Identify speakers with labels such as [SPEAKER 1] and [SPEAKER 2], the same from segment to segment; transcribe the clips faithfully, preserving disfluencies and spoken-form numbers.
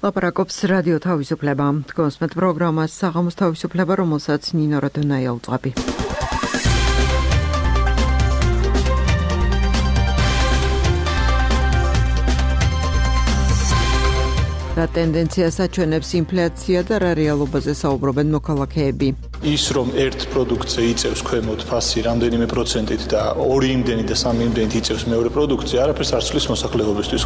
[SPEAKER 1] ლაპარაკობს რადიო თავისუფლება. გოსმეთ პროგრამას საღამოს თავისუფლება, რომელსაც ნინო როდონაია უძღვები. რა ტენდენციას აჩვენებს ინფლაცია და რა რეალობაზე საუბრობენ მოქალაქეები.
[SPEAKER 2] ის რომ ერთ პროდუქტზე იწევს ქვემოთ ფასი რამდენიმე პროცენტით და ორი იმდენი და სამი იმდენით იწევს მეორე პროდუქტზე, არაფერს არ ცვლის მოსახლეობისთვის.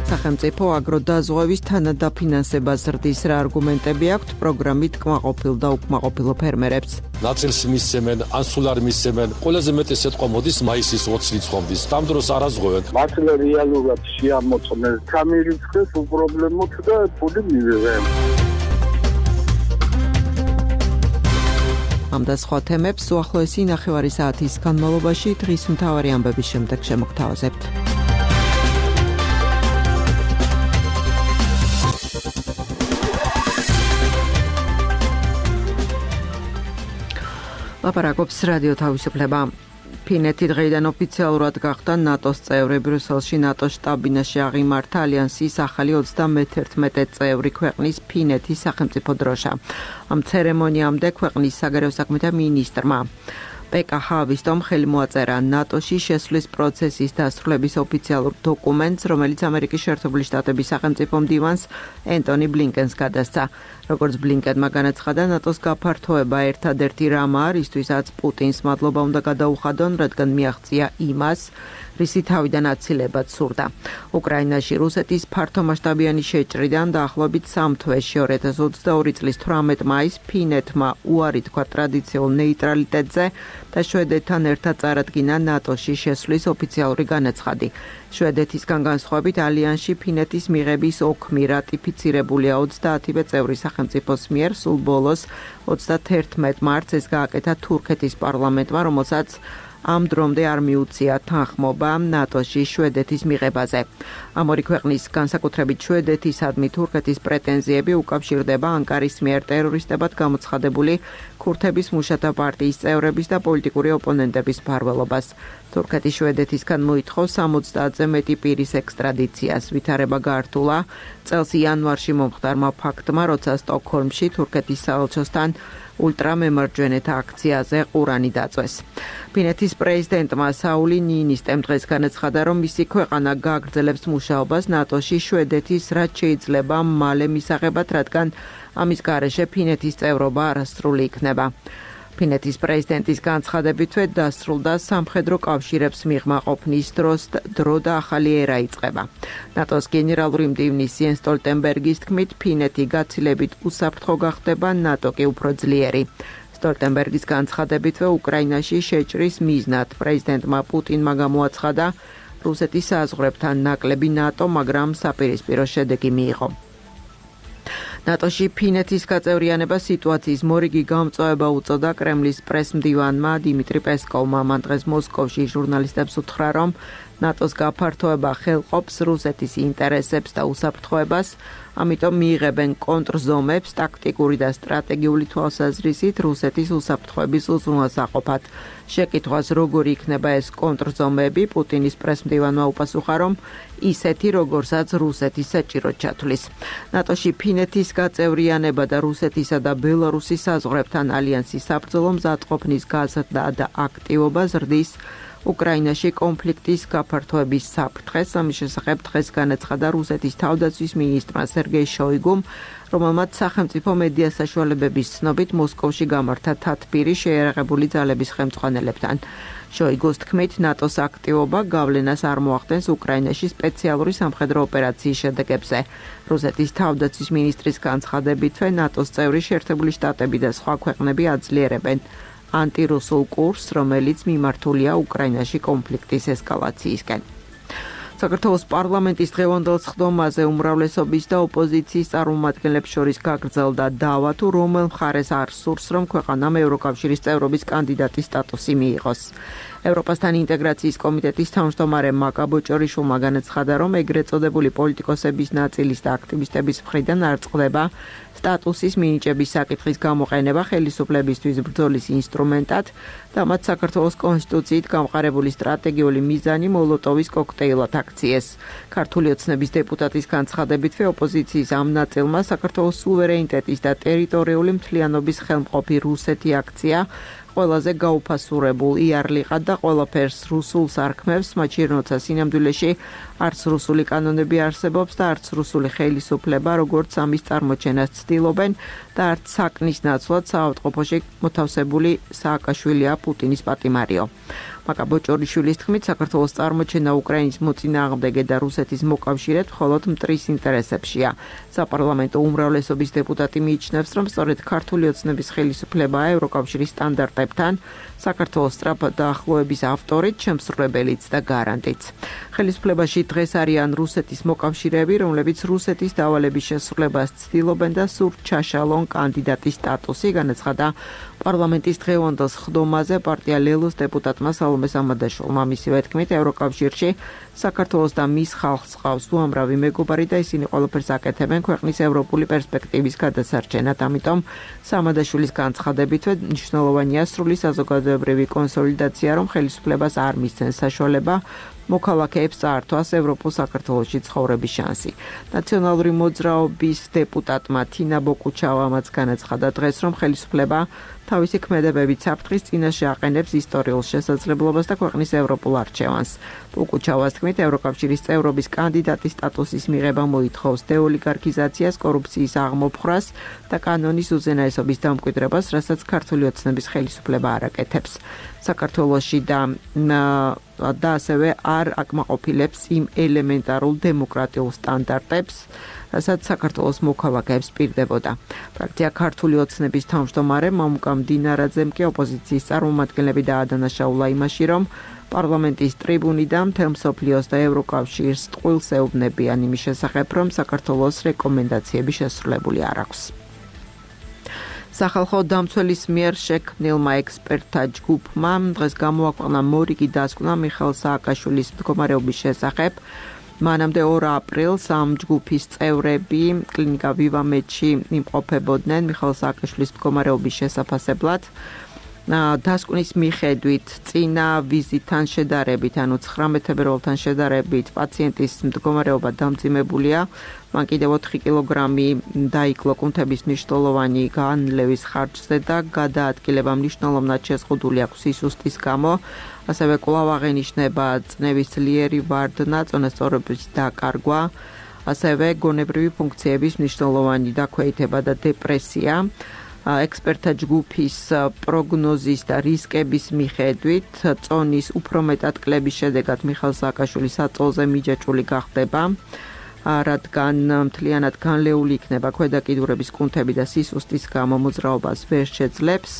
[SPEAKER 2] სახელმწიფო აგროდაზღვევის თანადაფინანსებას ზრდის რა არგუმენტები აქვთ პროგრამით კმაყოფილ და უკმაყოფილო ფერმერებს.
[SPEAKER 3] ნაწილს მისცემენ, ან სულ არ მისცემენ. ყველაზე მეტი სიტყვა მოდის მაისის ოცი რიცხვამდე. ამ დროს არ აზღვევენ.
[SPEAKER 4] მართლა რეალურად შეამოწმეს სამი რიცხვის უპრობლემოთ და ფული მივიღე.
[SPEAKER 1] ამ და სხვა თემებს უახლოესი ნახევარი საათის განმავლობაში დღის მთავარი ამბების შემდეგ შემოგთავაზებთ. ლაპარაკობს რადიო თავისუფლება. ფინეთი დღეიდან ოფიციალურად გახდა ნატოს წევრი. ბრიუსელში ნატოს შტაბ-ბინაში აღიმართა ალიანსის ახალი ოცდამეთერთმეტე წევრი ქვეყნის ფინეთის სახელმწიფო დროშა. ამ ცერემონიამდე ქვეყნის საგარეო საქმეთა მინისტრმა პეკა ჰავისტომ ხელი მოაწერა ნატოში შესვლის პროცესის დასრულების ოფიციალურ დოკუმენტს, რომელიც ამერიკის შეერთებული შტატების სახელმწიფო მდივანს ენტონი ბლინკენს გადასცა. როგორც ბლინკენმა განაცხადა, ნატოს გაფართოება ერთადერთი რამაა, რისთვისაც პუტინს მადლობა უნდა გადაუხადონ, რადგან მიაღწია იმას, რისი თავიდან აცილებად სურდა. უკრაინაში რუსეთის ფართომასშტაბიანი შეჭრიდან დაახლოებით სამ თვეში ორი ათას ოცდაორი წლის თვრამეტ მაისს ფინეთმა უარი თქვა ტრადიციულ ნეიტრალიტეტზე და შვედეთთან ერთად წარადგინა ნატოში შესვლის ოფიციალური განაცხადი. შვედეთისგან განსხვავებით ალიანსში ფინეთის მიღების ოქმი რატიფიცირებულია ოცდაათივე წევრი სახელმწიფოს მიერ. სულ ბოლოს ოცდათერთმეტ მარტს ეს გააკეთა თურქეთის პარლამენტმა, რომელსაც ამ დრომდე არ მიუწია თანხმობა ნატოში შვედეთის მიღებაზე. ამ ორი ქვეყნის, განსაკუთრებით შვედეთისადმი თურქეთის პრეტენზიები უკავშირდება ანკარის მიერ ტერორისტებად გამოცხადებული ქურთების მუშათა პარტიის წევრების და პოლიტიკური ოპონენტების მფარველობას. თურქეთი შვედეთისგან მოითხოვს სამოცდაათზე მეტი პირის ექსტრადიციას. ვითარება გაართულა წელს იანვარში მომხდარმა ფაქტმა, როცა სტოკჰოლმში თურქეთის საელჩოსთან ულტრამემარჯვენეთა აქციაზე ყურანი დაწვეს. ფინეთის პრეზიდენტმა საული ნინისტემ დღეს განაცხადა, რომ მისი ქვეყანა გააგრძელებს მუშაობას ნატოში შვედეთის რაც შეიძლება მალე მისაღებად, რადგან ამის გარეშე ფინეთის წევრობა არასრული იქნება. ფინეთის პრეზიდენტის განცხადებითვე დასრულდა სამხედრო კავშირებს მიღმა ყოფნის დროს დრო და ახალი ერა იწყება. ნატოს გენერალური მდივნის იენს სტოლტენბერგის თქმით, ფინეთი გაცილებით უსაფრთხო გახდება, ნატო კი უფრო ძლიერი. სტოლტენბერგის განცხადებითვე უკრაინაში შეჭრის მიზნად პრეზიდენტმა პუტინმა გამოაცხადა რუსეთის საზღვრებთან ნაკლები ნატო, მაგრამ საპირისპირო შედეგი მიიღო. ნატოში ფინეთის გაწევრიანება სიტუაციის მორიგი გამწვავება უწოდა კრემლის პრესმდივანმა დიმიტრი პესკოვმა. მან დღეს მოსკოვში ჟურნალისტებს უთხრა, რომ ნატოს გაფართოება ხელყოფს რუსეთის ინტერესებს და უსაფრთხოებას, ამიტომ მიიღებენ კონტრზომებს ტაქტიკური და სტრატეგიული თვალსაზრისით რუსეთის უსაფრთხოების უზრუნველსაყოფად. შეკითხვას როგორი იქნება ეს კონტრზომები, პუტინის პრესმდივანმა უპასუხა, რომ ისეთი, როგორსაც რუსეთი საჭიროდ ჩათვლის. ნატოში ფინეთის გაწევრიანება და რუსეთისა და ბელარუსის საზღვრებთან ალიანსის საბრძოლო მზადყოფნის გაზრდა და აქტივობა ზრდის უკრაინაში კონფლიქტის გაფართოების საფრთხეს. ამის შესახებ დღეს განაცხადა რუსეთის თავდაცვის მინისტრმა სერგეი შოიგუმ, რომელმაც სახელმწიფო მედია საშუალებების ცნობით მოსკოვში გამართა თათბირი შეიარაღებული ძალების ხელმძღვანელებთან. შოიგუს თქმით, ნატოს აქტივობა გავლენას არ მოახდენს უკრაინაში სპეციალური სამხედრო ოპერაციის შედეგებზე. რუსეთის თავდაცვის მინისტრის განცხადებითვე ნატოს წევრი შეერთებული შტატები და სხვა ქვეყნები აძლიერებენ ანტირუსულ კურსს, რომელიც მიმართულია უკრაინაში კონფლიქტის ესკალაციისკენ. საქართველოს პარლამენტის დღევანდელ სხდომაზე უმრავლესობის და ოპოზიციის წარმომადგენლებს შორის გაგრძელდა დავა, თუ რომელ მხარეს არ სურს, რომ ქვეყანამ ევროკავშირის წევრობის კანდიდატის სტატუსი მიიღოს. ევროპასთან ინტეგრაციის კომიტეტის თავმჯდომარე მაკა ბოჭორიშვილმა განაცხადა, რომ ეგრეთ წოდებული პოლიტიკოსების ნაწილის და აქტივისტების მხრიდან არ წყდება სტატუსის მინიჭების საკითხის გამოყენება ხელისუფლებისთვის ბრძოლის ინსტრუმენტად და მათ საქართველოს კონსტიტუციით გამყარებული სტრატეგიული მიზანი მოლოტოვის კოქტეილად აქციეს. ქართული ოცნების დეპუტატის განცხადებითვე ოპოზიციის ამ ნაწილმა საქართველოს სუვერენიტეტის და ტერიტორიული მთლიანობის ხელმყოფი რუსეთი აქცია ყველაზე გაუფასურებულ იარლიყად და ყველაფერს რუსულს არქმევს, მათ როცა სინამდვილეში არც რუსული კანონები არსებობს და არც რუსული ხელისუფლება, როგორც ამის წარმოჩენას ცდილობენ და არც საქმის ნაცვლად საავადმყოფოში მოთავსებული სააკაშვილია პუტინის პატიმარიო. მაკა ბოჭორიშვილის თქმით, საქართველოს წარმოჩენა უკრაინის მოწინააღმდეგე და რუსეთის მოკავშირედ მხოლოდ მტრის ინტერესებშია. საპარლამენტო უმრავლესობის დეპუტატი მიიჩნევს, რომ სწორედ ქართული ოცნების ხელისუფლებაა ევროკავშირის სტანდარტებთან საქართველოს სწრაფად დაახლოების ავტორიც, შემსრულებელიც და გარანტიც. ხელისუფლებაში დღეს არიან რუსეთის მოკავშირეები, რომლებიც რუსეთის დავალების შესრულებას ცდილობენ და სურთ ჩაშალონ კანდიდატის სტატუსი, განაცხადა პარლამენტის დღევანდელ ხდომაზე პარტია ლელოს დეპუტატმა სალომე სამადაშვილმა. მისივე თქმით, ევროკავშირში საქართველოს და მის ხალხს ყავს უამრავი მეგობარი და ისინი ყველაფერს აკეთებენ ქვეყნის ევროპული პერსპექტივის გადასარჩენად. ამიტომ სამადაშვილის განცხადებითვე მნიშვნელოვანია სრული საზოგადოებრივი კონსოლიდაცია, რომ ხელისუფლებას არ მისცემს საშუალება მოქალაქეებს წაართვას ევროპულ საქართველოში ცხოვრების შანსი. ნაციონალური მოძრაობის დეპუტატმა თინა ბოკუჩავამაც განაცხადა დღეს, რომ ხელისუფლება თავისი ქმედებებით საფრთხის წინაშე აყენებს ისტორიულ შესაძლებლობას და ქვეყნის ევროპულ არჩევანს. ბოკუჩავას თქმით, ევროკავშირის წევრობის კანდიდატის სტატუსის მიღება მოითხოვს დეოლიგარქიზაციას, კორუფციის აღმოფხვრას და კანონის უზენაესობის დამკვიდრებას, რასაც ქართული ოცნების ხელისუფლება არ აკეთებს. საქართველოში და და ასევე არ აკმაყოფილებს იმ ელემენტარულ დემოკრატიულ სტანდარტებს, რასაც საქართველოს მოქალაქეებს პირდებოდა. ფრაქცია ქართული ოცნების თავმჯდომარე მამუკა მდინარაძემ კი ოპოზიციის წარმომადგენლები დაადანაშაულა იმაში, რომ პარლამენტის ტრიბუნიდან მთელ მსოფლიოს და ევროკავშირს ტყუილს ეუბნებიან იმის შესახებ, რომ საქართველოს რეკომენდაციები შესრულებული არ აქვს. სახალხო დამცველის მიერ შექმნილმა ექსპერტთა ჯგუფმა დღეს გამოაქვეყნა მორიგი დასკვნა მიხეილ სააკაშვილის მდგომარეობის შესახებ. მანამდე ორ აპრილს ამ ჯგუფის წევრები კლინიკა ვივამედში იმყოფებოდნენ მიხეილ სააკაშვილის მდგომარეობის შესაფასებლად. დასკვნის მიხედვით წინა ვიზიტთან შედარებით, ანუ ცხრამეტ თებერვალთან შედარებით პაციენტის მდგომარეობა დამძიმებულია. მან კიდევ ოთხი კილოგრამი დაიკლო კუნთების მნიშვნელოვანი განლევის ხარჯზე და გადაადგილება მნიშვნელოვნად შეზღუდული აქვს სისუსტის გამო. ასევე კვლავ აღენიშნება წნევის ძლიერი ვარდნა, წონასწორობის დაკარგვა, ასევე გონებრივი ფუნქციების მნიშვნელოვანი დაქვეითება და დეპრესია. ექსპერტთა ჯგუფის პროგნოზის და რისკების მიხედვით წონის უფრო მეტად კლების შედეგად მიხეილ სააკაშვილი საწოლზე მიჯაჭვული გახდება, რადგან მთლიანად განლეული იქნება ქვედაკიდურების კუნთები და სისუსტის გამო მოძრაობას ვერ შეძლებს.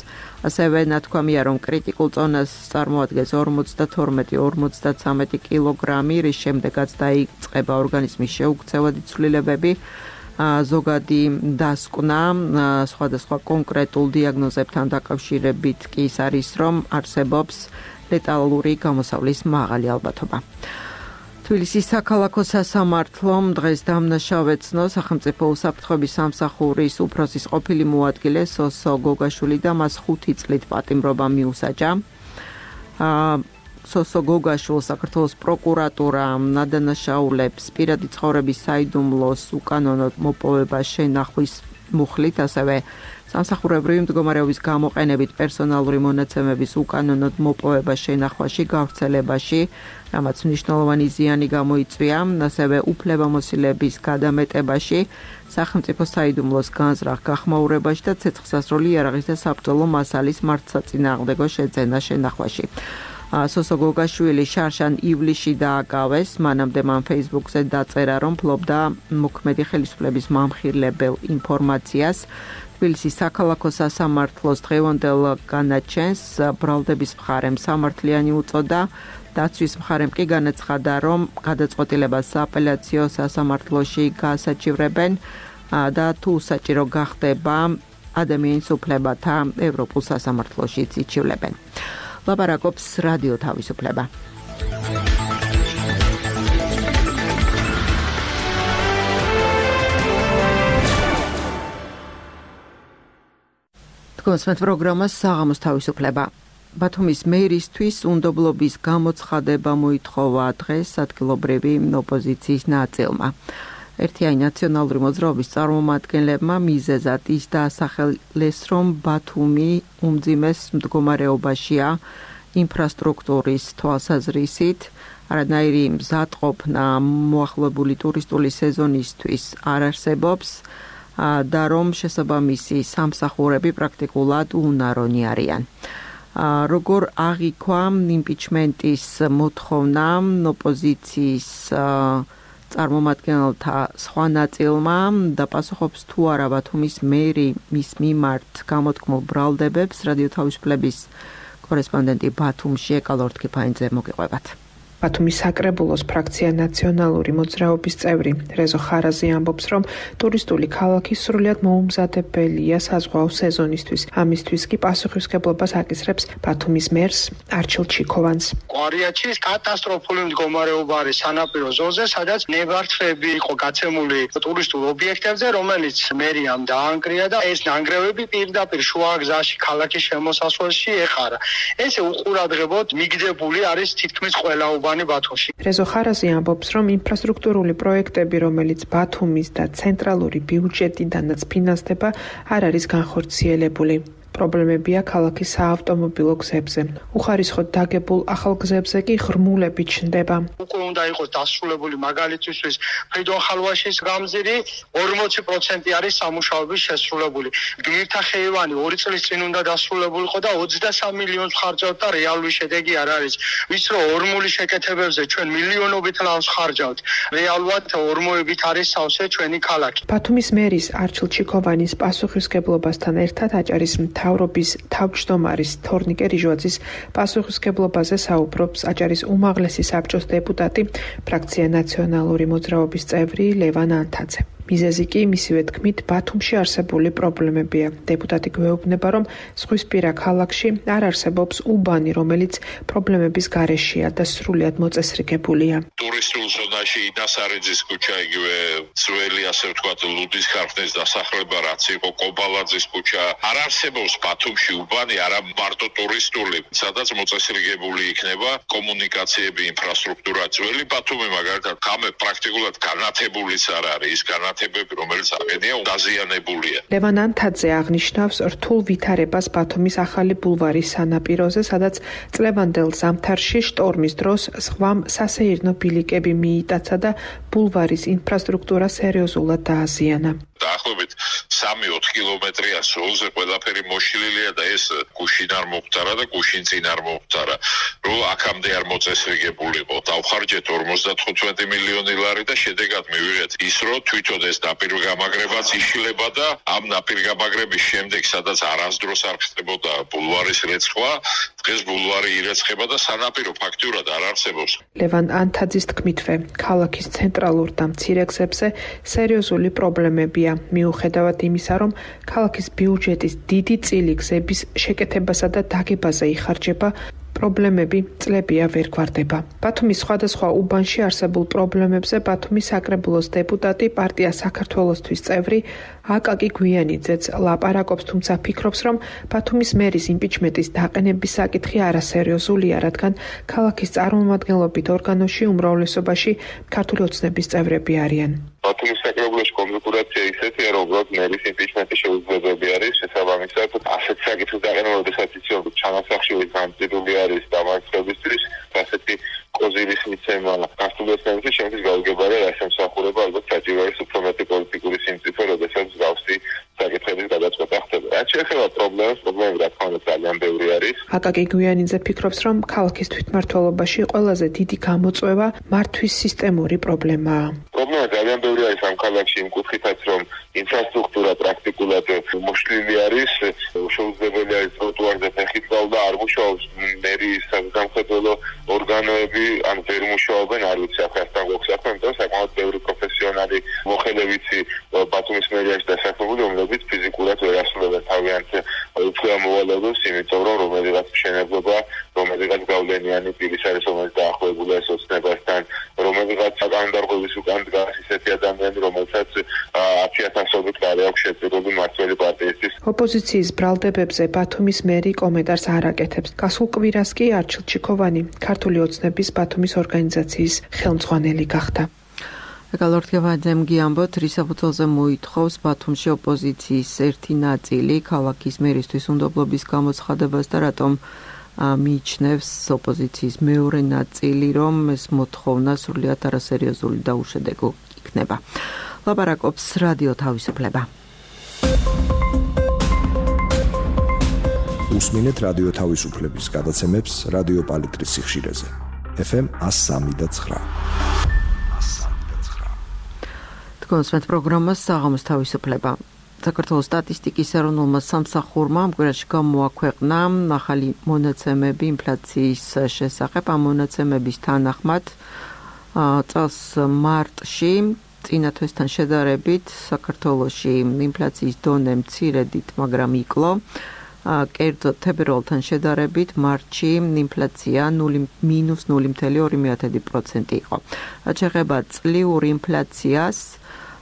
[SPEAKER 1] ასევე ნათქვამია, რომ კრიტიკულ წონას წარმოადგენს ორმოცდათორმეტი ორმოცდაცამეტი კილოგრამი, რის შემდეგაც დაიწყება ორგანიზმის შეუქცევადი ცვლილებები. ზოგადი დასკვნა სხვადასხვა კონკრეტულ დიაგნოზებთან დაკავშირებით კი ის არის, რომ არსებობს ლეტალური გამოსავლის მაღალი ალბათობა. თბილისის საქალაქო სასამართლომ დღეს დამნაშავე ცნო სახელმწიფო უსაფრთხოების სამსახურის უფროსის ყოფილი მოადგილე სოსო გოგაშვილი და მას ხუთი წლით პატიმრობა მიუსაჯა. სოსო გოგაშვილს საქართველოს პროკურატურა ადანაშაულებს პირადი ცხოვრების საიდუმლოს უკანონოდ მოპოვება შენახვის მუხლით, ასევე სამსახურებრივი მდგომარეობის გამოყენებით პერსონალური მონაცემების უკანონოდ მოპოვება შენახვაში, გავრცელებაში, რამაც მნიშვნელოვანი ზიანი გამოიწვია, ასევე უფლებამოსილების გადამეტებაში, სახელმწიფო საიდუმლოს განზრახ გახმაურებაში და ცეცხლსასროლი იარაღის და საბრძოლო მასალის მართსაწინააღმდეგო შეძენა შენახვაში. სოსო გოგაშვილი შარშან ივლისში დააკავეს, მანამდე მან Facebook-ზე დაწერა, რომ ფლობდა მოქმედი ხელისუფლების მამხილებელ ინფორმაციას. თბილისის საქალაქო სასამართლოს დღევანდელ განაჩენს ბრალდების მხარემ სამართლიანი უწოდა, დაცვის მხარემ კი განაცხადა, რომ გადაწყვეტილებას სააპელაციო სასამართლოში გაასაჩივრებენ და თუ საჭირო გახდება ადამიანის უფლებათა ევროპულ სასამართლოშიც იჩივლებენ. ლაპარაკობს რადიო თავისუფლება. გონსმენთ პროგრამას საღამოს თავისუფლება. ბათუმის მერისთვის უნდობლობის გამოცხადება მოითხოვა დღეს ადგილობრივი ოპოზიციის ნაწილმა. ერთიანი ნაციონალური მოძრაობის წარმომადგენლებმა მიზეზად ის დაასახელეს, რომ ბათუმი უმძიმეს მდგომარეობაშია ინფრასტრუქტურის თვალსაზრისით, არანაირი მზადყოფნა მოახლოებული ტურისტული სეზონისთვის არ არსებობს და რომ შესაბამისი სამსახურები პრაქტიკულად უნარონი არიან. როგორ აღიქვა იმპიჩმენტის მოთხოვნა ოპოზიციის წარმომადგენელთა სხვა ნაწილმა და პასუხობს თუ არა ბათუმის მერი მის მიმართ გამოთქმულ ბრალდებებს, რადიო თავისუფლების კორესპონდენტი ბათუმში ეკალორთ ქიფაინძე მოგიყვებათ.
[SPEAKER 5] ბათუმის საკრებულოს ფრაქცია ნაციონალური მოძრაობის წევრი რეზო ხარაზი ამბობს, რომ ტურისტული ქალაქი სრულიად მოუმზადებელია საზღვაო სეზონისთვის. ამისთვის კი პასუხისმგებლობას აკისრებს ბათუმის მერს არჩილ ჩიქოვანს.
[SPEAKER 6] კვარიაჩის კატასტროფული მდგომარეობა არის სანაპირო ზოლზე, სადაც ნებართვები იყო გაცემული ტურისტულ ობიექტებზე, რომელიც მერიამ დაანგრია და ეს ნანგრევები პირდაპირ შუაგზაში ქალაქის შემოსასვლელში ეყარა. ესე უყურადღებოდ მიგდებული არის თითქმის ყველა ბათუმში.
[SPEAKER 5] რეზო ხარაზი ამბობს, რომ ინფრასტრუქტურული პროექტები, რომელიც ბათუმის და ცენტრალური ბიუჯეტიდანაც ფინანსდება, არ არის განხორციელებული. პრობლემებია ქალაქის საავტომობილო გზებზე. უხარისხოდ დაგებულ ახალ გზებზე კი ღრმულები ჩნდება.
[SPEAKER 6] უკვე უნდა იყოს დასრულებული მაგალითისთვის ფრიდონ ხალვაშის გამზირი ორმოცი პროცენტი არის სამუშაოების შესრულებული. გმირთა ხეივანი ორი წლის წინ უნდა დასრულებულიყო და ოცდასამი მილიონს ხარჯავთ და რეალური შედეგი არ არის. ვის რომ ორმული შეკეთებებზე ჩვენ მილიონობით ლარს ხარჯავთ. რეალურად ორმოებით არის სავსე ჩვენი ქალაქი.
[SPEAKER 5] ბათუმის მერის არჩილ ჩიქოვანის პასუხისმგებლობასთან ერთად აჭარის მთავრობის თავმჯდომარის თორნიკე რიჟვაძის პასუხისმგებლობაზე საუბრობს აჭარის უმაღლესი საბჭოს დეპუტატი, ფრაქცია ნაციონალური მოძრაობის წევრი ლევან ანთაძე. მიზეზი კი მისივე თქმით ბათუმში არსებული პრობლემებია. დეპუტატი გვეუბნება, რომ ზღვისპირა ქალაქში არ არსებობს უბანი, რომელიც პრობლემების გარეშეა და სრულიად მოწესრიგებულია.
[SPEAKER 7] ტურისტულ ზონაში ინასარიძის ქუჩა, იგივე ძველი, ასე ვთქვათ, ლუდის ქარხნის დასახლება, რაც იყო კობალაძის ქუჩა, არ არსებობს ბათუმში უბანი, არა მარტო ტურისტული, სადაც მოწესრიგებული იქნება კომუნიკაციები, ინფრასტრუქტურა. ძველი ბათუმი მაგალითად გამე პრაქტიკულად განათებულიც არ არის, ის განათებები რომელიც აღენია დაზიანებულია.
[SPEAKER 5] ლევან ანთაძე აღნიშნავს რთულ ვითარებას ბათუმის ახალი ბულვარის სანაპიროზე, სადაც წლევანდელ ზამთარში შტორმის დროს ზღვამ სასეირნო ბილიკები მიიტაცა და ბულვარის ინფრასტრუქტურა სერიოზულად დააზიანა.
[SPEAKER 7] დაახლოებით სამი ოთხ კილომეტრია ზოლზე ყველაფერი მოშლილია და ეს გუშინ არ მოხდარა და გუშინ წინ არ მოხდარა. რომ აქამდე არ მოწესრიგებულიყო. დავხარჯეთ ორმოცდათხუთმეტი მილიონი ლარი და შედეგად მივიღეთ ის, რომ თვითონ ეს ნაპირგამაგრებაც იშლება და ამ ნაპირგამაგრების შემდეგ, სადაც არასდროს არ ხდებოდა ბულვარის რეცხვა, დღეს ბულვარი ირეცხება და სანაპირო ფაქტურად არ არსებობს.
[SPEAKER 5] ლევან ანთაძის თქმითვე, ქალაქის ცენტრალურ და მცირე გზებზე სერიოზული პრობლემებია. მიუხედავად იმისა, რომ ქალაქის ბიუჯეტის დიდი წილი გზების შეკეთებასა და დაგებაზე იხარჯება, პრობლემები წლებია ვერ გვარდება. ბათუმის სხვადასხვა უბანში არსებულ პრობლემებზე ბათუმის საკრებულოს დეპუტატი, პარტია საქართველოსთვის წევრი აკაკი გვიანიძეც ლაპარაკობს, თუმცა ფიქრობს, რომ ბათუმის მერის იმპიჩმენტის დაყენების საკითხი არასერიოზულია, რადგან ქალაქის წარმომადგენლობით ორგანოში უმრავლესობაში ქართული ოცნების წევრები არიან.
[SPEAKER 8] ბათუმის საკრებულოში კონფიგურაცია ისეთია, რომ უბრალოდ მერის იმპიჩმენტი შეუძლებელი არის, შესაბამისად ასეთ საკითხის დაყენება, როდესაც იციან, რომ ჩანასახში განცდილი არის დამარცხებისთვის, ასეთი კოზირის მიცემა ქართულ ოცნებაში შემთხვევით გაუგებარია რასამსახურება, ალბათ საჭირო არის უფრო მეტი პოლიტიკური სიმწიფე, როდესაც გავსი საკითხების გადაწყვეტა ხდება. რაც შეეხება პრობლემას, პრობლემები რა თქმა უნდა ძალიან ბევრი არის.
[SPEAKER 5] აკაკი გვიანიძე ფიქრობს, რომ ქალაქის თვითმმართველობაში ყველაზე დიდი გამოწვევა მართვის სისტემური პრობლემაა.
[SPEAKER 8] პრობლემა ძალიან ბევრი არის ამ ქალაქში იმ კუთხითაც, რომ ინფრასტრუქტურა პრაქტიკულად მოშლილი არის, შეუძლებელი არის ტროტუარზე ფეხით გავლა, არ მუშაობს მერის სამხედრო ორგანოები, ან ვერ მუშაობენ, არ ვიცი ახლა ასთან გვაქვს ახლა, იმიტომ რომ საკმაოდ ბევრი პროფესიონალი მოხელებიცი ბათუმის მერიაში დასაქმებული, რომლებიც ფიზიკურად ვერ ასრულებენ თავიანთ უფლება მოვალეობას იმით, ამტკიცებ რომ რომელიღაც მშენებლობა რომელიღაც გავლენიანი პირის არის რომელიც დაახლოებულია ეს ოცნებასთან რომელიღაც საკანონმდებლობის უკან დგას ისეთი ადამიანი რომელსაც ათი ათასობით კარი აქვს შეწირული მმართველი პარტიისთვის.
[SPEAKER 5] ოპოზიციის ბრალდებებზე ბათუმის მერი კომენტარს არ აკეთებს. გასულ კვირას კი არჩილ ჩიქოვანი ქართული ოცნების ბათუმის ორგანიზაციის ხელმძღვანელი გახდა.
[SPEAKER 1] გალორთგევაძემ გიამბოთ, რის საფუძველზე მოითხოვს ბათუმში ოპოზიციის ერთი ნაწილი ქალაქის მერისთვის უნდობლობის გამოცხადებას და რატომ მიიჩნევს ოპოზიციის მეორე ნაწილი, რომ ეს მოთხოვნა სრულიად არასერიოზული და უშედეგო იქნება. ლაპარაკობს რადიო თავისუფლება.
[SPEAKER 9] უსმინეთ რადიო თავისუფლების გადაცემებს რადიო პალიტრის სიხშირეზე. ეფ ემ one oh three point nine.
[SPEAKER 1] კონსმეთ პროგრამას საღამოს თავისუფლება. საქართველოს სტატისტიკის ეროვნულმა სამსახურმა ამ კვირაში გამოაქვეყნა ახალი მონაცემები ინფლაციის შესახებ. ამ მონაცემების თანახმად წელს მარტში წინა თვესთან შედარებით საქართველოში ინფლაციის დონე მცირედით, მაგრამ იკლო. კერძოდ თებერვალთან შედარებით მარტში ინფლაცია მინუს ნული კoma ორი პროცენტი იყო. რაც შეეხება წლიურ ინფლაციას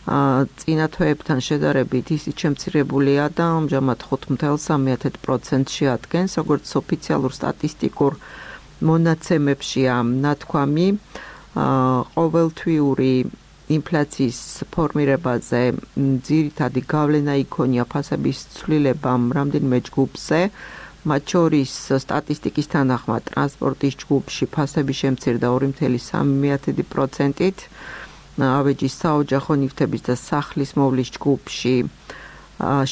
[SPEAKER 1] წინა თვეებთან შედარებით ისიც შემცირებულია და ამჟამად ხუთ კoma სამი პროცენტს შეადგენს, როგორც ოფიციალურ სტატისტიკურ მონაცემებშია ნათქვამი ყოველთვიური ინფლაციის ფორმირებაზე ძირითადი გავლენა იქონია ფასების ცვლილებამ რამდენიმე ჯგუფზე, მათ შორის სტატისტიკის თანახმად ტრანსპორტის ჯგუფში ფასები შემცირდა ორი კoma სამი პროცენტით, ავეჯის საოჯახო ნივთების და სახლის მოვლის ჯგუფში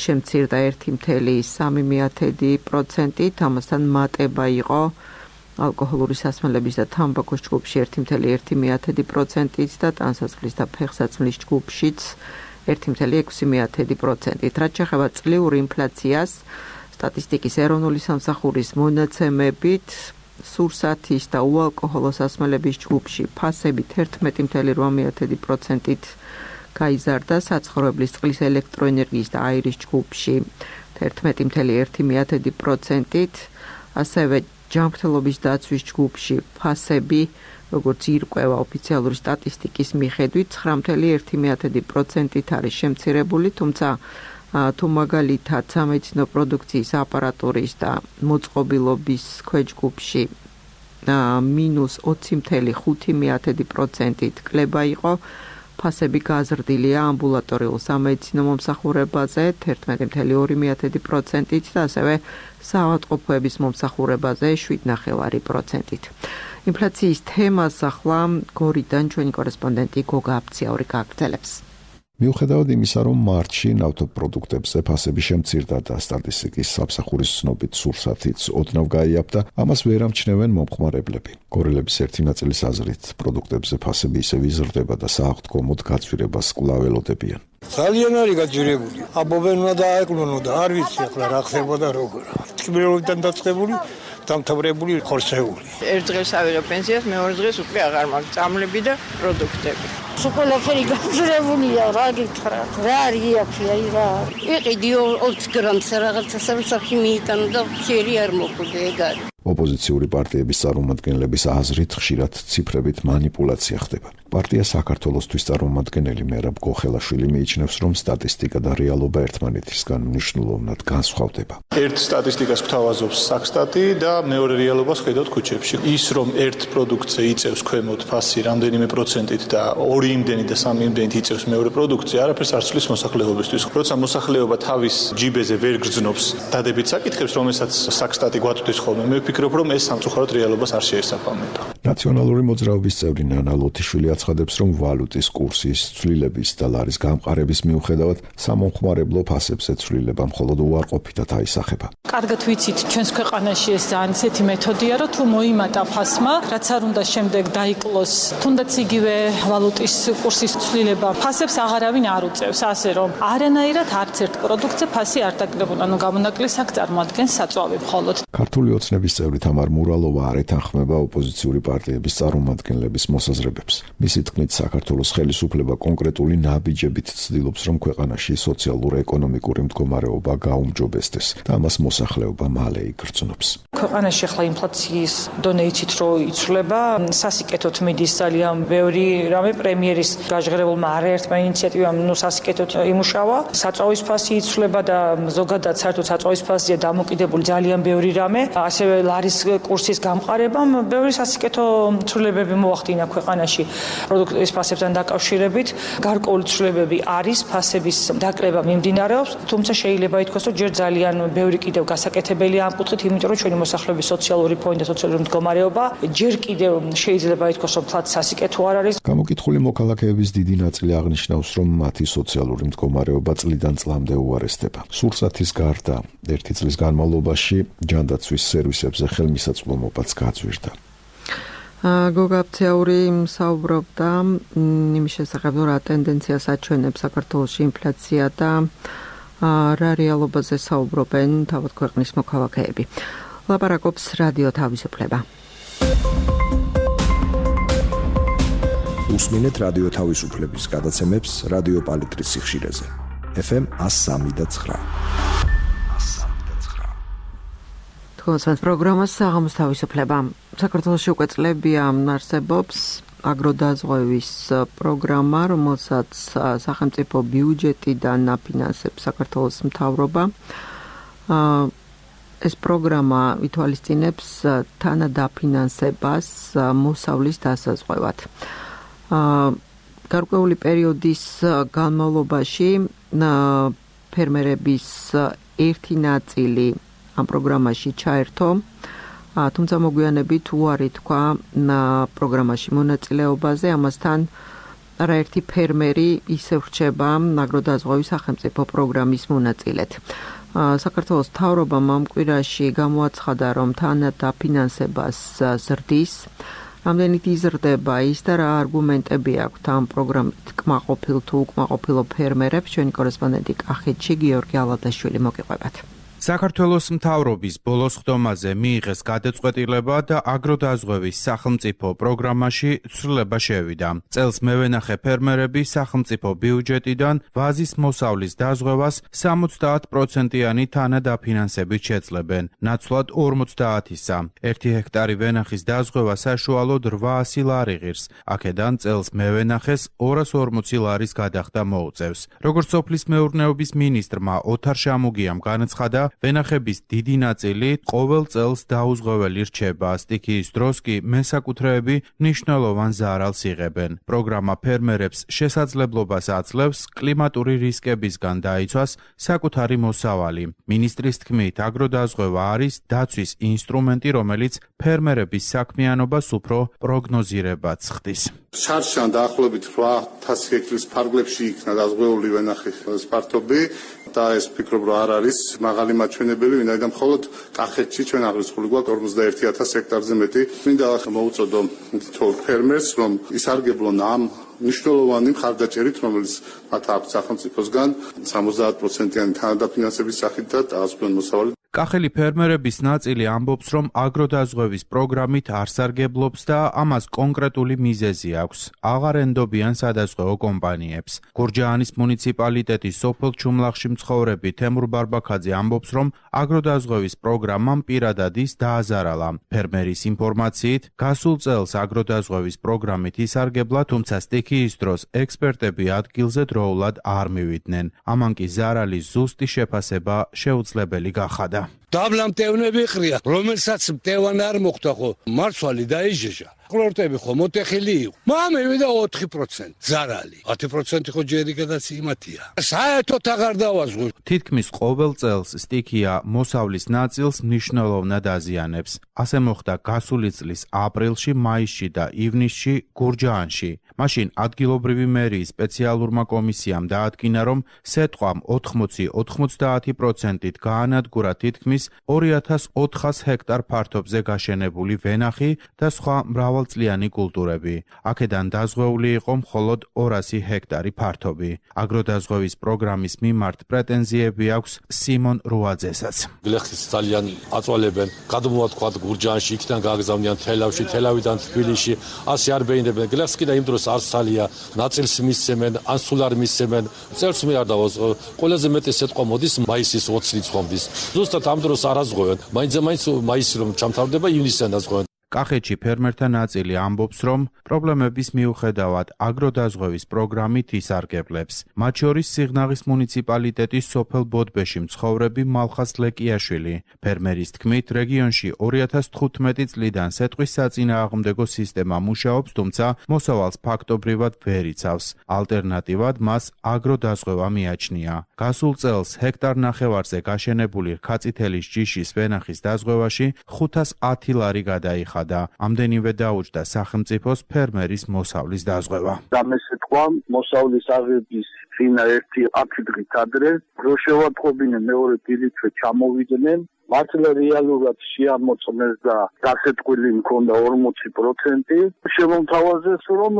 [SPEAKER 1] შემცირდა ერთი კoma სამი პროცენტით, ამასთან მატება იყო ალკოჰოლური სასმელების და თამბაქოს ჯგუფში ერთი კoma ერთი პროცენტით და ტანსაცმლის და ფეხსაცმლის ჯგუფშიც ერთი კoma ექვსი პროცენტით. რაც შეეხება წლიურ ინფლაციას, სტატისტიკის ეროვნული სამსახურის მონაცემებით სურსათის და უალკოჰოლო სასმელების ჯგუფში ფასებით ერთმეტი კoma რვა პროცენტით გაიზარდა, საცხოვრებლის წყლის ელექტროენერგიის და აირის ჯგუფში ერთმეტი კoma ერთი პროცენტით, ასევე ჯანმრთელობის დაცვის ჯგუფში ფასები, როგორც ირკვევა ოფიციალური სტატისტიკის მიხედვით, ცხრა კoma ერთი პროცენტით არის შემცირებული, თუმცა თუ მაგალითად სამედიცინო პროდუქციის აპარატურის და მოწყობილობის ქვეჯგუფში მინუს ოცი კoma ხუთი პროცენტით კლება იყო, ფასები გაზრდილია ამბულატორიულ სამედიცინო მომსახურებაზე ერთმეტი კoma ორი პროცენტით და ასევე საავადმყოფოების მომსახურებაზე შვიდ ნახევარი პროცენტით. ინფლაციის თემას ახლა გორიდან ჩვენი კორესპონდენტი გოგა აფციაური გააგრძელებს.
[SPEAKER 9] მიუხედავად იმისა, რომ მარტში ნავთობპროდუქტებზე ფასები შემცირდა და სტატისტიკის სამსახურის ცნობით სურსათიც ოდნავ გაიაფდა, ამას ვერ ამჩნევენ მომხმარებლები. გორილების ერთი ნაწილის აზრით, პროდუქტებზე ფასები ისევ იზრდება და სააღდგომოდ გაცვირებას კვლავ ელოდებიან.
[SPEAKER 10] ძალიან არის გაჯირებული. აბობენ უნდა დაეკლონო და არ ვიცი ახლა რა ხდებოდა როგორ. თქმელებიდან დაწყებული დამთავრებული ხორცეული.
[SPEAKER 11] ერთ დღეს ავიღე პენსიას, მეორე დღეს უკვე აღარ მაქვს წამლები და პროდუქტები.
[SPEAKER 12] სულაფერი გაძრებულია, რა გითხრათ, რა არის აქი, აი რა. იყიდი ოცი გრამს რაღაცა სამსახი მიიტანო და ხელი არ მოხვდა ეგ არის.
[SPEAKER 9] ოპოზიციური პარტიების წარმომადგენლების აზრით ხშირად ციფრებით манипуляცია ხდება. პარტია საქართველოსთვის წარმომადგენელი მერაბ გოხელაშვილი მიიჩნევს, რომ სტატისტიკა და რეალობა ერთმანეთისგან მნიშვნელოვნად განსხვავდება.
[SPEAKER 2] ერთ სტატისტიკას გვთავაზობს საქსტატი და მეორე რეალობას ხედავთ ქუჩებში. ის რომ ერთ პროდუქტზე იწევს ქვემოთ ფასი რამდენიმე პროცენტით და ორი იმდენი და სამი იმდენით იწევს მეორე პროდუქტზე, არაფერს არ ცვლის მოსახლეობისთვის. როცა მოსახლეობა თავის ჯიბეზე ვერ გრძნობს დადებით საკითხებს, რომელსაც საქსტატი გვაწვდის ხოლმე, მე ვფიქრობ, რომ ეს სამწუხაროდ რეალობას არ შეესაბამება.
[SPEAKER 9] ნაციონალური მოძრაობის წევრი ნანა ლოთიშვილი აცხადებს, რომ ვალუტის კურსის ცვლილების და ლარის გამყარების მიუხედავად სამომხმარებლო ფასებზე ცვლილება მხოლოდ უარყოფითად აისახება.
[SPEAKER 13] კარგად ვიცით, ჩვენს ქვეყანაში ეს ძალიან ისეთი მეთოდია, რომ თუ მოიმატა ფასმა, რაც არ უნდა შემდეგ დაიკლოს, თუნდაც იგივე ვალუტის კურსის ცვლილება, ფასებს აღარავინ არ უწევს, ასე რომ არანაირად არც ერთ პროდუქტზე ფასი არ დაკლებულა, ანუ გამონაკლისს აქ წარმოადგენს საწვავი მხოლოდ.
[SPEAKER 9] ქართული ოცნების წევრი თამარ მურალოვა არ ეთანხმება ოპოზიციური პარტიების წარმომადგენლების მოსაზრებებს. მისი თქმით, საქართველოს ხელისუფლება კონკრეტული ნაბიჯებით ცდილობს, რომ ქვეყანაში სოციალურ-ეკონომიკური მდგომარეობა გაუმჯობესდეს და ამას მოსახლეობა მალე იგრძნობს.
[SPEAKER 13] ქვეყანაში ახლა ინფლაციის დონე იცით რომ იცვლება, სასიკეთოდ მიდის ძალიან ბევრი რამე პრემიერის გაჟღერებულმა არაერთმა ინიციატივამ ნუ სასიკეთოდ იმუშავა. საწვავის ფასი იცვლება და ზოგადად საერთოდ საწვავის ფასია დამოკიდებული ძალიან ბევრი რამე. ასევე ლარის კურსის გამყარებამ ბევრი სასიკეთო ცვლილებები მოახდინა ქვეყანაში პროდუქტის ფასებთან დაკავშირებით. გარკვეული ცვლილებები არის, ფასების დაკრება მიმდინარეობს, თუმცა შეიძლება ითქვას, რომ ჯერ ძალიან ბევრი კიდევ გასაკეთებელია ამ კუთხით, იმიტომ რომ ჩვენი მოსახლეობის სოციალური ფონი და სოციალური მდგომარეობა ჯერ კიდევ შეიძლება ითქვას, რომ ფლაც სასიკეთო არ არის.
[SPEAKER 9] გამოკითხული მოქალაქეების დიდი ნაწილი აღნიშნავს, რომ მათი სოციალური მდგომარეობა წლიდან წლამდე უარესდება. სურსათის გარდა ერთი წლის განმავლობაში ჯანდაცვის სერვისებზე ხელმისაწვდომობაც გაძვირდა.
[SPEAKER 1] გოგაბცეური საუბრობდა იმის შესახებ, რა ტენდენციას აჩვენებს საქართველოში ინფლაცია და რა რეალობაზე საუბრობენ თავად ქვეყნის მოქალაქეები. ლაპარაკობს რადიო თავისუფლება.
[SPEAKER 14] უსმინეთ რადიო თავისუფლების გადაცემებს რადიო პალიტრის სიხშირეზე. ეფ ემ one oh three point nine.
[SPEAKER 1] თქვენს პროგრამას საღამოს თავისუფლება. საქართველოში უკვე წლებია არსებობს აგროდაზღვევის პროგრამა, რომელსაც სახელმწიფო ბიუჯეტიდან აფინანსებს საქართველოს მთავრობა. ეს პროგრამა ითვალისწინებს თანადაფინანსებას მოსავლის დასაზღვევად. გარკვეული პერიოდის განმავლობაში ფერმერების ერთი ნაწილი ამ პროგრამაში ჩაერთო, თუმცა მოგვიანებით უარი თქვა პროგრამაში მონაწილეობაზე, ამასთან არაერთი ფერმერი ისევ რჩება აგროდაზღვევის სახელმწიფო პროგრამის მონაწილედ. საქართველოს მთავრობამ ამ კვირაში გამოაცხადა, რომ თანადაფინანსებას ზრდის. რამდენით იზრდება ის და რა არგუმენტები აქვთ ამ პროგრამით კმაყოფილ თუ უკმაყოფილო ფერმერებს, ჩვენი კორესპონდენტი კახეთში გიორგი ალადაშვილი მოგიყვებათ.
[SPEAKER 15] საქართველოს მთავრობის ბოლოს ხდომაზე მიიღეს გადაწყვეტილება და აგროდაზღვევის სახელმწიფო პროგრამაში ცვლილება შევიდა. წელს მევენახე ფერმერები სახელმწიფო ბიუჯეტიდან ვაზის მოსავლის დაზღვევას სამოცდაათ პროცენტიანი თანადაფინანსებით შეძლებენ, ნაცვლად ორმოცდაათისა. ერთი ჰექტარი ვენახის დაზღვევა საშუალოდ რვაასი ლარი ღირს, აქედან წელს მევენახეს ორას ორმოცი ლარის გადახდა მოუწევს. როგორც სოფლის მეურნეობის მინისტრმა ოთარ შამუგიამ განაცხადა, ვენახების დიდი ნაწილი ყოველ წელს დაუზღვეველი რჩება, სტიქიის დროს კი მესაკუთრეები მნიშვნელოვან ზარალს იღებენ. პროგრამა ფერმერებს შესაძლებლობას აძლევს კლიმატური რისკებისგან დაიცვას საკუთარი მოსავალი. მინისტრის თქმით, აგროდაზღვევა არის დაცვის ინსტრუმენტი, რომელიც ფერმერების საქმიანობას უფრო პროგნოზირებად ხდის.
[SPEAKER 16] შარშან დაახლოებით რვა ათასი ჰექტარის ფარგლებში იქნა დაზღვეული ვენახის სპარტობი და ეს ფიქრობ რომ არ არის მაღალი მაჩვენებელი, ვინაიდან მხოლოდ კახეთში ჩვენ აღრიცხული გვაქვს ორმოცდაერთი ათასი ჰექტარზე მეტი. მინდა მოუწოდო თითოეულ ფერმერს, რომ ისარგებლონ ამ მნიშვნელოვანი მხარდაჭერით, რომელიც მათ აქვს სახელმწიფოსგან სამოცდაათ პროცენტიანი თანადაფინანსების სახით და დაასრულონ მოსავალი.
[SPEAKER 15] კახელი ფერმერების ნაწილი ამბობს, რომ აგროდაზღვევის პროგრამით არ სარგებლობს და ამას კონკრეტული მიზეზი აქვს. აღარ ენდობიან სადაზღვევო კომპანიებს. გურჯაანის მუნიციპალიტეტის სოფელ ჩუმლახში მცხოვრები თემურ ბარბაქაძე ამბობს, რომ აგროდაზღვევის პროგრამამ პირადად ის დააზარალა. ფერმერის ინფორმაციით, გასულ წელს აგროდაზღვევის პროგრამით ისარგებლა, თუმცა სტიქიის დროს ექსპერტები ადგილზე დროულად არ მივიდნენ. ამან კი ზარალის ზუსტი შეფასება შეუძლებელი გახადა.
[SPEAKER 17] დაბლა მტევნები ყრია, რომელსაც მტევანი არ მოხდა ხო, მარცვალი დაიჟეჟა. ყლორტები ხო მოტეხილი იყო. მამივიდა ოთხი პროცენტი ზარალი. ათი პროცენტი ხო ჯერი გადაციმათია. საერთოდ აღარ დავაზღვი.
[SPEAKER 15] თითქმის ყოველ წელს სტიქია მოსავლის ნაწილს მნიშვნელოვნად აზიანებს. ასე მოხდა გასული წლის აპრილში, მაისში და ივნისში გურჯაანში. მაშინ ადგილობრივი მერიის სპეციალურმა კომისიამ დაადგინა, რომ სეტყვამ ოთხმოცი ოცდაათი პროცენტით გაანადგურა თითქმის არის ორი ათას ოთხას ჰექტარ ფართობზე გაშენებული ვენახი და სხვა მრავალწლიანი კულტურები. აქედან დაზღვეული იყო მხოლოდ ორასი ჰექტარი ფართობი. აგროდაზღვევის პროგრამის მიმართ პრეტენზიები აქვს სიმონ რუაძესაც.
[SPEAKER 3] გლეხის ძალიან აწვალებენ, გადმოვათქვათ გურჯაანში, იქიდან გააგზავნიან თელავში, თელავიდან თბილისში, ასე არ ბეინებენ. გლეხს კიდე იმ დროს არც თალია, ნაწილს მისცემენ, ან სულ არ მისცემენ. წელს მე არ დავას, ყველაზე მეტი სიტყვა მოდის მაისის ოცი რიცხვამდის. ზუსტად ამ დროს არ აზღვევენ. მაინც მაინც მაისი რომ ჩამთავრდება ივნისიდან აზღვევენ.
[SPEAKER 15] კახეთში ფერმერთა ნაწილი ამბობს, რომ პრობლემების მიუხედავად აგროდაზღვევის პროგრამით ისარგებლებს. მათ შორის სიღნაღის მუნიციპალიტეტის სოფელ ბოდბეში მცხოვრები მალხას ლეკიაშვილი. ფერმერის თქმით, რეგიონში ორი ათას თხუთმეტი წლიდან სეტყვის საწინააღმდეგო სისტემა მუშაობს, თუმცა მოსავალს ფაქტობრივად ვერ იცავს. ალტერნატივად მას აგროდაზღვევა მიაჩნია. გასულ წელს ჰექტარ ნახევარზე გაშენებული რქაწითელის ჯიშის ვენახის დაზღვევაში ხუთას ათი ლარი გადაიხადა. და ამდენივე დაუჯდა სახელმწიფოს ფერმერის მოსავლის დაზღვევა.
[SPEAKER 4] გამესეთქვა მოსავლის აღების წინა ერთი ათი დღით ადრე, რო შევატყობინე მეორე დილითვე ჩამოვიდნენ, მართლა რეალურად შეამოწმეს და დასეტყვილი მქონდა ორმოცი პროცენტი. შემომთავაზეს რომ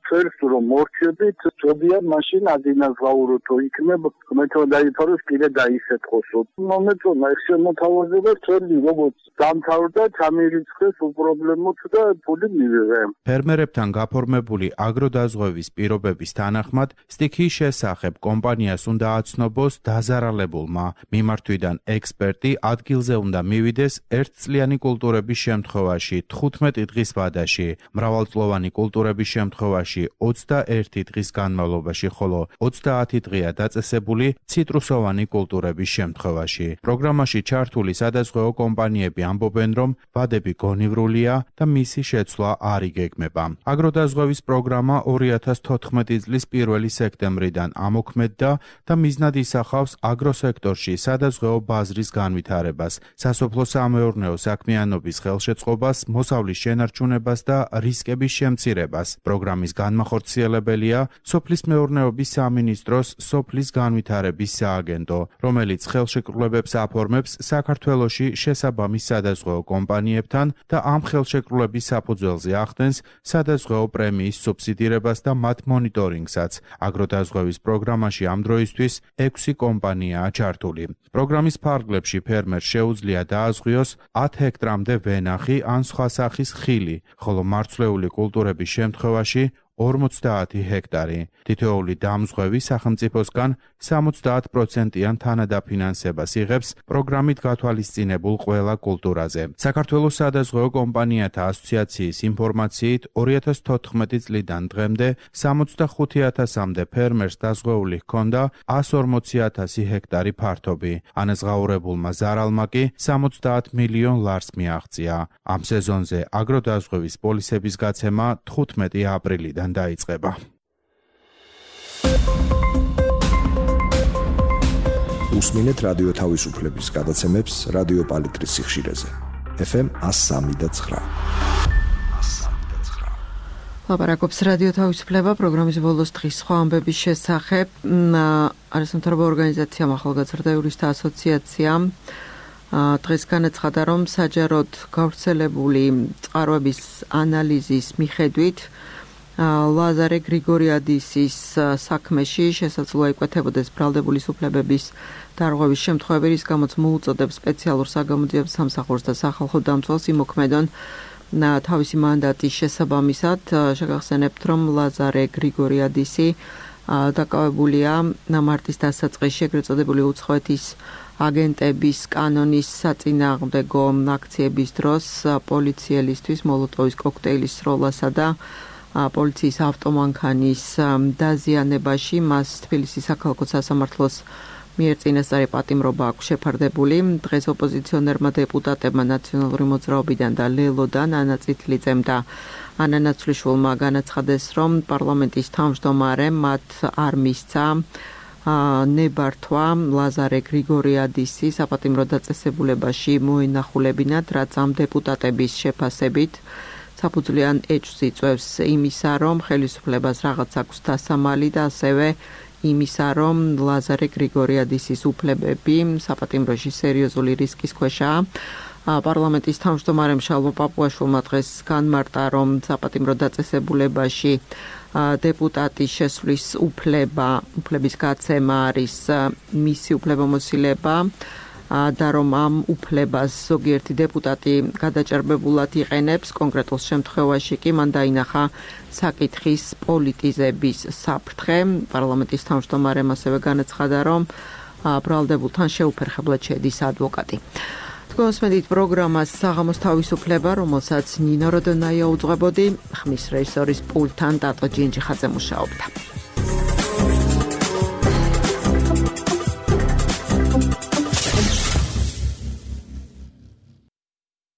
[SPEAKER 4] ფერს რომ მორჩებით, წოდიან მაშინ ადინაზღაუროთ იქნებ, მეტო დაიფაროს კიდე დაისეთქოსო. მომეწონა ეს შემოთავაზება წელი როგორც დამთავრდა, ჩამირიცხეს უპრობლემოდ და ფული მივიღე.
[SPEAKER 15] ფერმერებთან გაფორმებული აგროდაზღვევის პირობების თანახმად, სტიქიის შესახებ კომპანიას უნდა აცნობოს დაზარალებულმა. მიმართვიდან ექსპერტი ადგილზე უნდა მივიდეს ერთწლიანი კულტურების შემთხვევაში თხუთმეტი დღის ვადაში, მრავალწლოვანი კულტურების შემთხვევაში ოცდაერთი დღის განმავლობაში, ხოლო ოცდაათი დღეა დაწესებული ციტრუსოვანი კულტურების შემთხვევაში. პროგრამაში ჩართული სადაზღვეო კომპანიები ამბობენ, რომ ვადები გონივრულია და მისი შეცვლა არ იგეგმება. აგროდაზღვევის პროგრამა ორი ათას თოთხმეტი წლის პირველი სექტემბრიდან ამოქმედდა და მიზნად ისახავს აგროსექტორში სადაზღვეო ბაზრის განვითარებას, სასოფლო-სამეურნეო საქმიანობის ხელშეწყობას, მოსავლის შენარჩუნებას და რისკების შემცირებას. პროგრამის განმახორციელებელია სოფლის მეურნეობის სამინისტროს სოფლის განვითარების სააგენტო, რომელიც ხელშეკრულებებს აფორმებს საქართველოში შესაბამის სადაზღვეო კომპანიებთან და ამ ხელშეკრულების საფუძველზე ახდენს სადაზღვეო პრემიის სუბსიდირებას და მათ მონიტორინგსაც. აგროდაზღვევის პროგრამაში ამ დროისთვის ექვსი კომპანიაა ჩართული. პროგრამის ფარგლებში ფერმერს შეუძლია დააზღვიოს ათი ჰექტრამდე ვენახი ან სხვა სახის ხილი, ხოლო მარცვლეული კულტურების შემთხვევაში ორმოცდაათი ჰექტარი. თითოეული დამზღვევი სახელმწიფოსგან სამოცდაათ პროცენტიან თანადაფინანსებას იღებს პროგრამით გათვალისწინებულ ყველა კულტურაზე. საქართველოს სადაზღვეო კომპანიათა ასოციაციის ინფორმაციით ორი ათას თოთხმეტი წლიდან დღემდე სამოცდახუთი ათასამდე ფერმერს დაზღვეული ჰქონდა ასი ორმოცი ათასი ჰექტარი ფართობი. ანაზღაურებულმა ზარალმა კი სამოცდაათ მილიონ ლარს მიაღწია. ამ სეზონზე აგროდაზღვევის პოლისების გაცემა თხუთმეტი აპრილიდან დაიწყება.
[SPEAKER 14] უსმინეთ რადიო თავისუფლების გადაცემებს რადიო პალიტრის სიხშირეზე. ეფ ემ one oh three point nine.
[SPEAKER 1] ლაპარაკობს რადიო თავისუფლება პროგრამის ბოლოს დღის სხვა ამბების შესახებ. არასამთავრობო ორგანიზაციამ ახალგაზრდა იურისტთა ასოციაციამ დღეს განაცხადა, რომ საჯაროდ გავრცელებული წყაროების ანალიზის მიხედვით ლაზარე გრიგორიადისის საქმეში შესაძლოა იკვეთებოდეს ბრალდებული უფლებების დარღვევის შემთხვევები, რის გამოც მოუწოდებს სპეციალურ საგამოძიებელ სამსახურს და სახალხო დამცველს იმოქმედონ თავისი მანდატის შესაბამისად. შეგახსენებთ, რომ ლაზარე გრიგორიადისი დაკავებულია მარტის დასაწყისში ეგრეთ წოდებული უცხოეთის აგენტების კანონის საწინააღმდეგო აქციების დროს პოლიციელისთვის მოლოტოვის კოქტეილის სროლასა და პოლიციის ავტომანქანის დაზიანებაში მას თბილისის საქალაქო სასამართლოს მიერ წინასწარი პატიმრობა აქვს შეფარდებული. დღეს ოპოზიციონერმა დეპუტატებმა ნაციონალური მოძრაობიდან და ლელოდან ანა წითლიძემ და ანა ნაცვლიშვილმა განაცხადეს, რომ პარლამენტის თავმჯდომარემ მათ არ მისცა ნებართვა ლაზარე გრიგორიადისი საპატიმრო დაწესებულებაში მოენახულებინათ, რაც ამ დეპუტატების შეფასებით საფუძვლიან ეჭვს იწვევს იმისა, რომ ხელისუფლებას რაღაც აქვს დასამალი და ასევე იმისა, რომ ლაზარე გრიგორიადისის უფლებები საპატიმროში სერიოზული რისკის ქვეშაა. პარლამენტის თავმჯდომარემ შალვა პაპუაშვილმა დღეს განმარტა, რომ საპატიმრო დაწესებულებაში დეპუტატის შესვლის უფლება, უფლების გაცემა არის მისი უფლებამოსილება და რომ ამ უფლებას ზოგიერთი დეპუტატი გადაჭარბებულად იყენებს, კონკრეტულ შემთხვევაში კი მან დაინახა საკითხის პოლიტიზების საფრთხე. პარლამენტის თავმჯდომარემ ასევე განაცხადა, რომ ბრალდებულთან შეუფერხებლად შედის ადვოკატი. თქვენსმენით პროგრამას საღამოს თავისუფლება, რომელსაც ნინო როდონაია უძღვებოდი, ხმის რეჟისორის პულტთან დატო ჯინჯიხაძე მუშაობდა.